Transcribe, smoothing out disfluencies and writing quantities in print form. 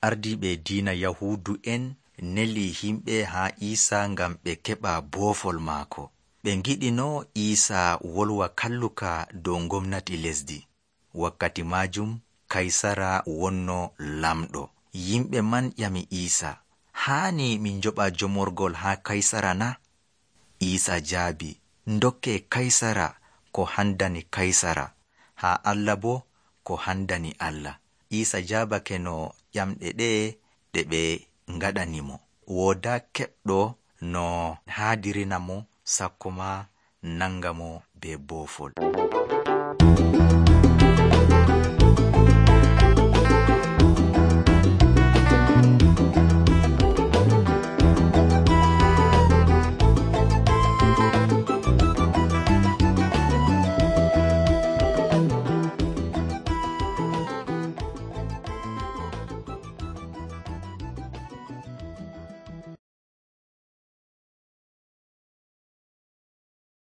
ardiiɓe diina Yahuudu'en neli himɓe haa Iisa ngam ɓe keɓa boofol maako. Ɓe ngiɗino Iisa wolwa kalluka dow gomnati lesdi. Wakkati maajum Kaysara wonno lamɗo. Yimɓe man ƴami Iisa, haani min joɓa jomorgol haa Kaysara na? Iisa jaabi, ndokke Kaysara ko handani Kaysara, haa Allah bo ko handani Allah. Iisa jaabake no ƴamɗe ɗe ɓe ngaɗanimo. Woodaa keɓɗo no haadirina mo sakko ma nanga mo be boofol.